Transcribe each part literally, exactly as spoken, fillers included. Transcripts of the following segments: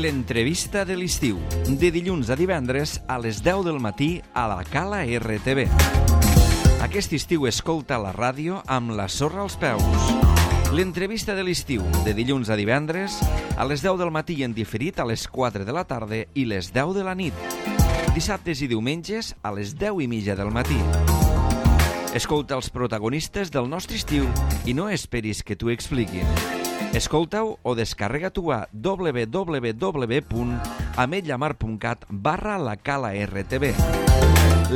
L'entrevista de l'estiu, de dilluns a divendres a les deu del matí a la Cala R T V. Aquest estiu escolta la ràdio amb la sorra als peus. L'entrevista de l'estiu, de dilluns a divendres a les deu del matí i en diferit a les quatre de la tarda i les deu de la nit. Dissabtes i diumenges a les deu i mitja del matí. Escolta els protagonistes del nostre estiu i no esperis que t'ho expliquin. Escolta-ho o descarrega-t'ho a w w w punt ametlla mar punt cat barra la Cala R T V.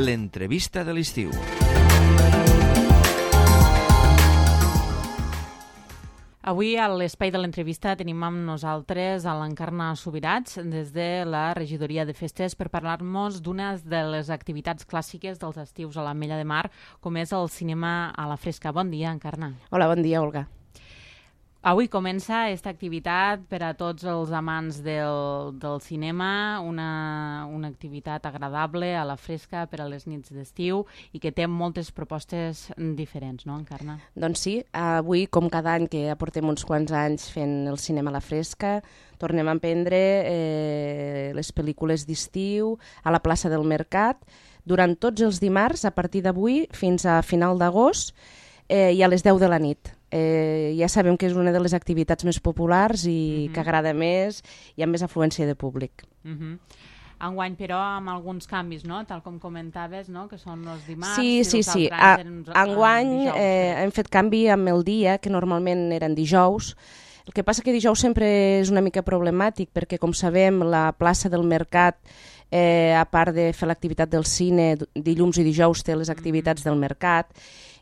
L'entrevista de l'estiu. Avui a l'espai de l'entrevista tenim amb nosaltres a l'Encarna Subirats des de la Regidoria de Festes per parlar-nos d'una de les activitats clàssiques dels estius a l'Ametlla de Mar, com és el cinema a la fresca. Bon dia, Encarna. Hola, bon dia, Olga. Avui comença aquesta activitat per a tots els amants del, del cinema, una, una activitat agradable a la fresca per a les nits d'estiu i que té moltes propostes diferents, no, Encarna? Doncs sí, avui, com cada any que ja portem uns quants anys fent el cinema a la fresca, tornem a emprendre eh, les pel·lícules d'estiu a la plaça del Mercat durant tots els dimarts, a partir d'avui fins a final d'agost eh, i a les deu de la nit. Eh, ja sabem que és una de les activitats més populars i uh-huh. que agrada més i amb més afluència de públic. Uh-huh. Enguany, però, amb alguns canvis, no? Tal com comentaves, no? Que són els dimarts... Sí, sí, sí. A, enguany dijous, eh, hem fet canvi amb el dia, que normalment eren dijous. El que passa que dijous sempre és una mica problemàtic, perquè, com sabem, la plaça del Mercat, eh, a part de fer l'activitat del cine, dilluns i dijous té les activitats uh-huh. del mercat,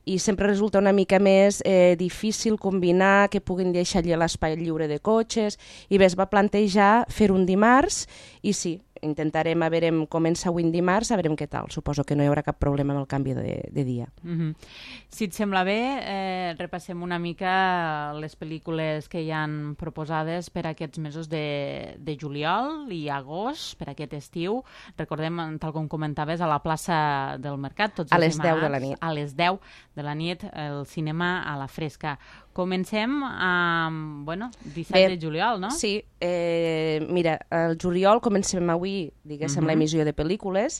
i sempre resulta una mica més eh, difícil combinar que puguin deixar allà l'espai lliure de cotxes, i bé, es va plantejar fer un dimarts, i sí, intentarem, a veure, comença avui dimarts, a veure què tal. Suposo que no hi haurà cap problema amb el canvi de, de dia. Mm-hmm. Si et sembla bé, eh, repassem una mica les pel·lícules que hi han proposades per aquests mesos de, de juliol i agost, per aquest estiu. Recordem, tal com comentaves, a la plaça del Mercat, tots els a les dimarts, deu de la nit. A les deu de la nit, el cinema a la fresca. Comencem amb, bueno, disset Bé, de juliol, no? Sí, eh, mira, el juliol comencem avui, diguéssim, uh-huh. l'emissió de pel·lícules,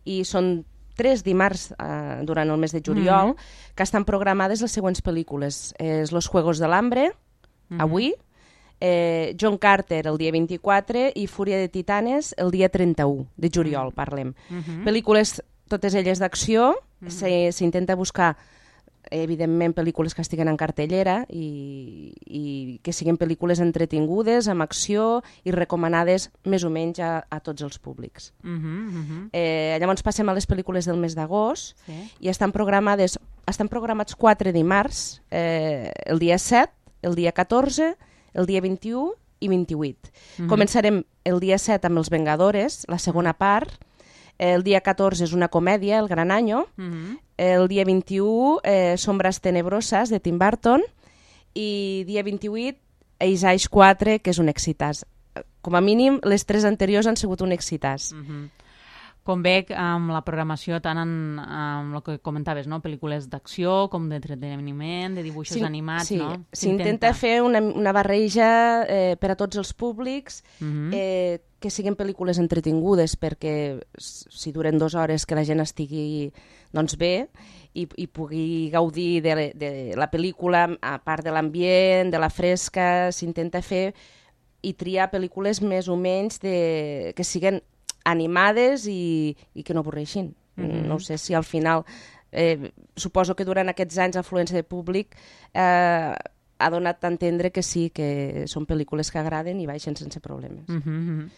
i són tres dimarts eh, durant el mes de juliol uh-huh. que estan programades les següents pel·lícules. És Los Juegos del Hambre, uh-huh. avui, eh, John Carter el dia vint-i-quatre i Fúria de Titanes el dia trenta-u de juliol, uh-huh. parlem. Uh-huh. Pel·lícules, totes elles d'acció, uh-huh. s'intenta buscar evidentment pel·lícules que estiguen en cartellera i, i que siguin pel·lícules entretingudes, amb acció i recomanades més o menys a, a tots els públics. Uh-huh, uh-huh. Eh, llavors passem a les pel·lícules del mes d'agost sí. i estan programades, estan programats quatre dimarts, eh, el dia set, el dia catorze, el dia vint-i-u i vint-i-vuit. Uh-huh. Començarem el dia set amb Els Vengadores, la segona part. El dia catorze és una comèdia, El Gran Año. Uh-huh. El dia vint-i-u, eh, Sombras Tenebrosas, de Tim Burton. I dia vint-i-vuit, Eix Eix quatre, que és un excitàs. Com a mínim, les tres anteriors han sigut un excitàs. Uh-huh. Com veig, amb la programació, tant en, amb el que comentaves, no? Pel·lícules d'acció, com d'entreteniment, de dibuixos sí, animats, sí. no? S'intenta fer una, una barreja eh, per a tots els públics, uh-huh. eh, que siguin pel·lícules entretingudes, perquè si duren dues hores que la gent estigui doncs, bé i, i pugui gaudir de, de la pel·lícula, a part de l'ambient, de la fresca, s'intenta fer i triar pel·lícules més o menys de, que siguin animades i, i que no avorreixin. Mm-hmm. No sé si al final, eh, suposo que durant aquests anys l'afluència de públic eh, ha donat a entendre que sí, que són pel·lícules que agraden i baixen sense problemes. Mm-hmm.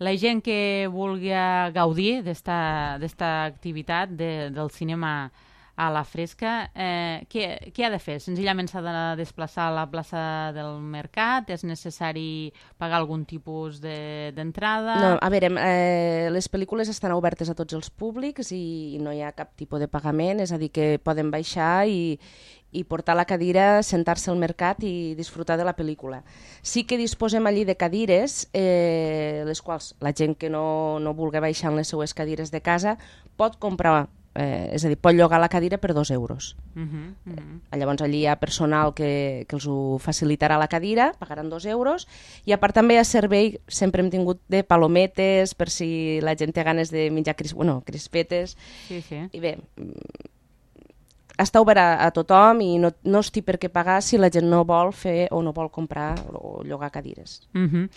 La gent que vulgui gaudir d'esta activitat de, del cinema a la fresca, eh, què, què ha de fer? Senzillament s'ha de desplaçar a la plaça del Mercat? És necessari pagar algun tipus d'entrada? De, no, a veure, eh, les pel·lícules estan obertes a tots els públics i no hi ha cap tipus de pagament, és a dir, que poden baixar i, i portar la cadira, sentar-se al mercat i disfrutar de la pel·lícula. Sí que disposem allí de cadires, eh, les quals la gent que no, no vulgui baixar en les seues cadires de casa pot comprar eh, és a dir, pot llogar la cadira per dos euros. Uh -huh, uh -huh. Llavors allí hi ha personal que, que els ho facilitarà la cadira, pagaran dos euros, i a part també hi ha servei, sempre hem tingut de palometes, per si la gent té ganes de menjar cris, bueno, crispetes, sí, sí. I bé, està obert a, a tothom i no, no es té per què pagar si la gent no vol fer o no vol comprar o llogar cadires. Uh -huh.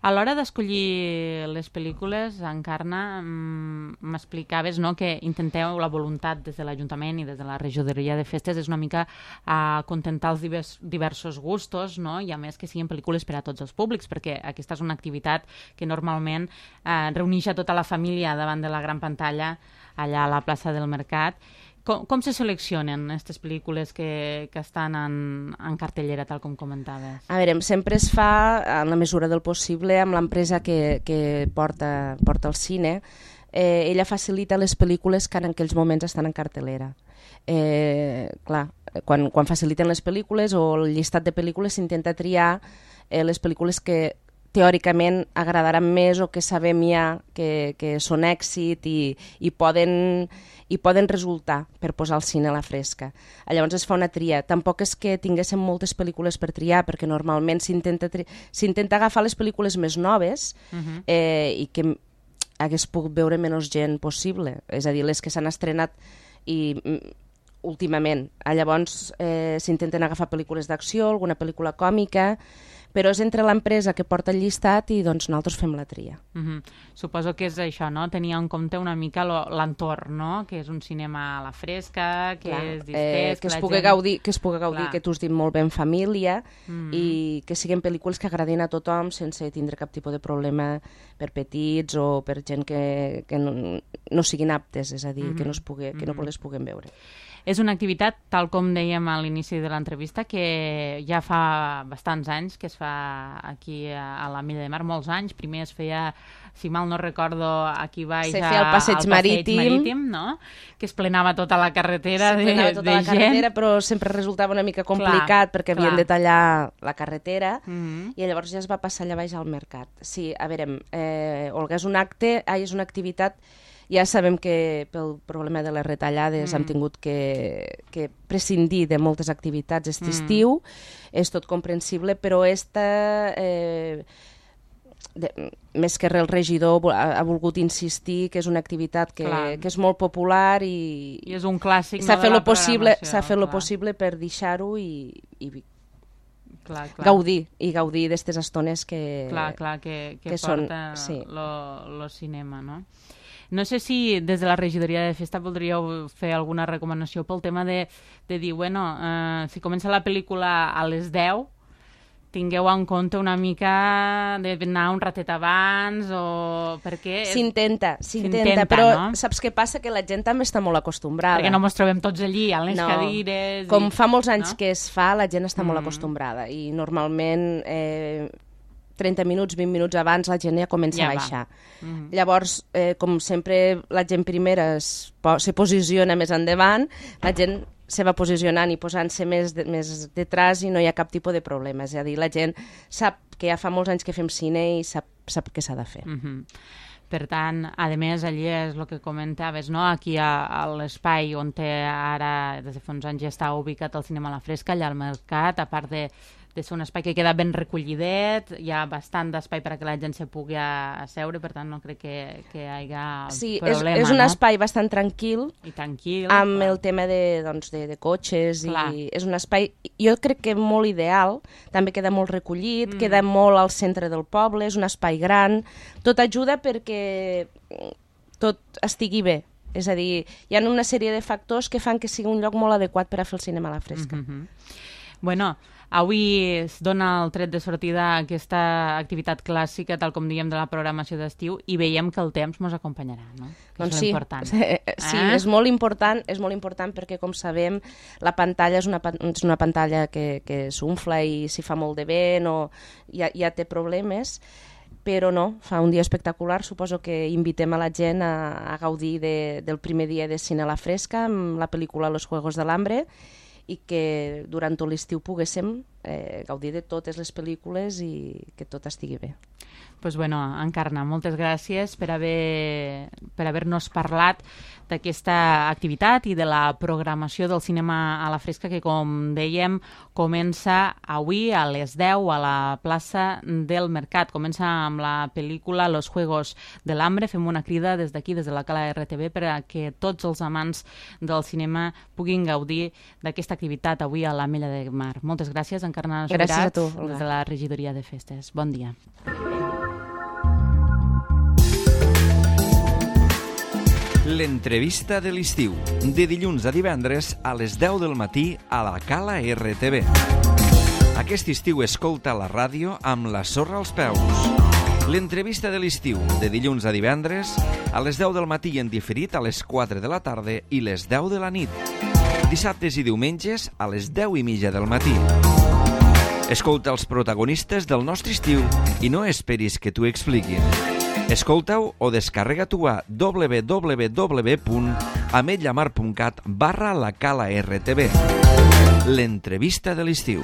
A l'hora d'escollir les pel·lícules, Encarna, m'explicaves, no?, que intenteu la voluntat des de l'Ajuntament i des de la regidoria de festes és una mica acontentar els divers, diversos gustos, no?, i a més que siguin pel·lícules per a tots els públics, perquè aquesta és una activitat que normalment eh, reuneix a tota la família davant de la gran pantalla allà a la plaça del Mercat. Com, com se seleccionen aquestes pel·lícules que, que estan en, en cartellera, tal com comentaves? A veure, sempre es fa, en la mesura del possible, amb l'empresa que, que porta, porta el cine. Eh, ella facilita les pel·lícules que en aquells moments estan en cartellera. Eh, clar, quan, quan faciliten les pel·lícules o el llistat de pel·lícules s'intenta triar eh, les pel·lícules que teòricament agradaran més o que sabem ja que, que són èxit i, i, poden, i poden resultar per posar el cine a la fresca. Llavors es fa una tria. Tampoc és que tinguéssim moltes pel·lícules per triar, perquè normalment s'intenta tri... s'intenta agafar les pel·lícules més noves uh-huh. eh, i que hagués pogut veure menys gent possible, és a dir, les que s'han estrenat i últimament. Llavors eh, s'intenten agafar pel·lícules d'acció, alguna pel·lícula còmica, però és entre l'empresa que porta el llistat i doncs nosaltres fem la tria. Uh-huh. Suposo que és això, no? Tenir en compte una mica l'entorn, no? Que és un cinema a la fresca, que Clar, és distès... Eh, que, que es la pugui gent... gaudir, que es pugui gaudir, Clar. que tu has dit molt bé en família, uh-huh. i que siguin pel·lícules que agradin a tothom sense tindre cap tipus de problema per petits o per gent que, que no, no siguin aptes, és a dir, uh-huh. que, no es pugui, que no les puguin veure. És una activitat, tal com dèiem a l'inici de l'entrevista, que ja fa bastants anys que es fa aquí a la Milla de Mar, molts anys. Primer es feia, si mal no recordo, aquí baix Se feia el passeig, al passeig marítim, marítim, no? Que es plenava tota la carretera Se de, plenava tota de la gent. carretera, però sempre resultava una mica complicat, clar, perquè havien clar. de tallar la carretera, uh-huh. i llavors ja es va passar allà baix al mercat. Sí, a veure, eh, Olga, és un acte, ai, és una activitat. Ja sabem que pel problema de les retallades mm. hem tingut que, que prescindir de moltes activitats aquest mm. estiu, és tot comprensible, però esta, eh, de, més que res el regidor ha, ha volgut insistir que és una activitat que, que és molt popular i, I és un clàssic, s'ha no, fet de la lo possible, programació. S'ha fet Clar. lo possible per deixar-ho i, i clar, clar. gaudir, i gaudir d'aquestes estones que, clar, clar, que, que, que porta són, sí. lo, lo cinema, no? No sé si des de la regidoria de festa voldríeu fer alguna recomanació pel tema de, de dir, bueno, eh, si comença la pel·lícula a les deu, tingueu en compte una mica d'anar un ratet abans o... perquè... S'intenta, s'intenta, però no? Saps què passa? Que la gent també està molt acostumbrada. Perquè no mos trobem tots allí, a les no. cadires... Com i... fa molts anys no? que es fa, la gent està mm. molt acostumbrada i normalment... Eh, trenta minuts, vint minuts abans la gent ja comença ja a baixar. Mm-hmm. Llavors, eh, com sempre la gent primera es, se posiciona més endavant, la gent se va posicionant i posant-se més, de, més detrás i no hi ha cap tipus de problema. És a dir, la gent sap que ja fa molts anys que fem cine i sap, sap què s'ha de fer. Mm-hmm. Per tant, a més, allí és el que comentaves, no? Aquí a, a l'espai on té ara, des de fa uns anys ja està ubicat el cinema a la fresca, allà al mercat, a part de de ser un espai que queda ben recollidet, hi ha bastant d'espai perquè la gent se pugui asseure, per tant no crec que, que hi hagi sí, problema. És, és un no? espai bastant tranquil, I tranquil amb clar. El tema de, doncs, de, de cotxes, clar. I és un espai, jo crec que molt ideal, també queda molt recollit, mm. queda molt al centre del poble, és un espai gran, tot ajuda perquè tot estigui bé. És a dir, hi ha una sèrie de factors que fan que sigui un lloc molt adequat per a fer el cinema a la fresca. Mm-hmm. Bueno, avui es dona el tret de sortida a aquesta activitat clàssica, tal com diem, de la programació d'estiu, i veiem que el temps ens acompanyarà, no? Que doncs és sí, important. sí, eh? és molt important, és molt important perquè, com sabem, la pantalla és una, és una pantalla que, que s'unfla i si fa molt de vent o ja, ja té problemes, però no, fa un dia espectacular. Suposo que invitem a la gent a, a gaudir de, del primer dia de cine a la fresca amb la pel·lícula Los Juegos del Hambre, i que durant tot l'estiu poguéssim eh, gaudir de totes les pel·lícules i que tot estigui bé. Pues bueno, Encarna, moltes gràcies per haver per haver-nos parlat d'aquesta activitat i de la programació del cinema a la fresca que, com dèiem, comença avui a les deu a la plaça del Mercat. Comença amb la pel·lícula Los Juegos del Hambre. Fem una crida des d'aquí, des de la Cala R T V, perquè tots els amants del cinema puguin gaudir d'aquesta activitat avui a l'Ametlla de Mar. Moltes gràcies, Encarna Subirats, gràcies a tu, Olga. Des de la regidoria de festes. Bon dia. L'entrevista de l'estiu, de dilluns a divendres a les deu del matí a la Cala R T V. Aquest estiu escolta la ràdio amb la sorra als peus. L'entrevista de l'estiu, de dilluns a divendres a les deu del matí en diferit a les quatre de la tarda i les deu de la nit. Dissabtes i diumenges a les deu i mitja del matí. Escolta els protagonistes del nostre estiu i no esperis que t'ho expliquin. Escolta-ho o descarrega-t'ho a w w w punt ametllamar punt cat barra la Cala R T V. L'entrevista de l'estiu.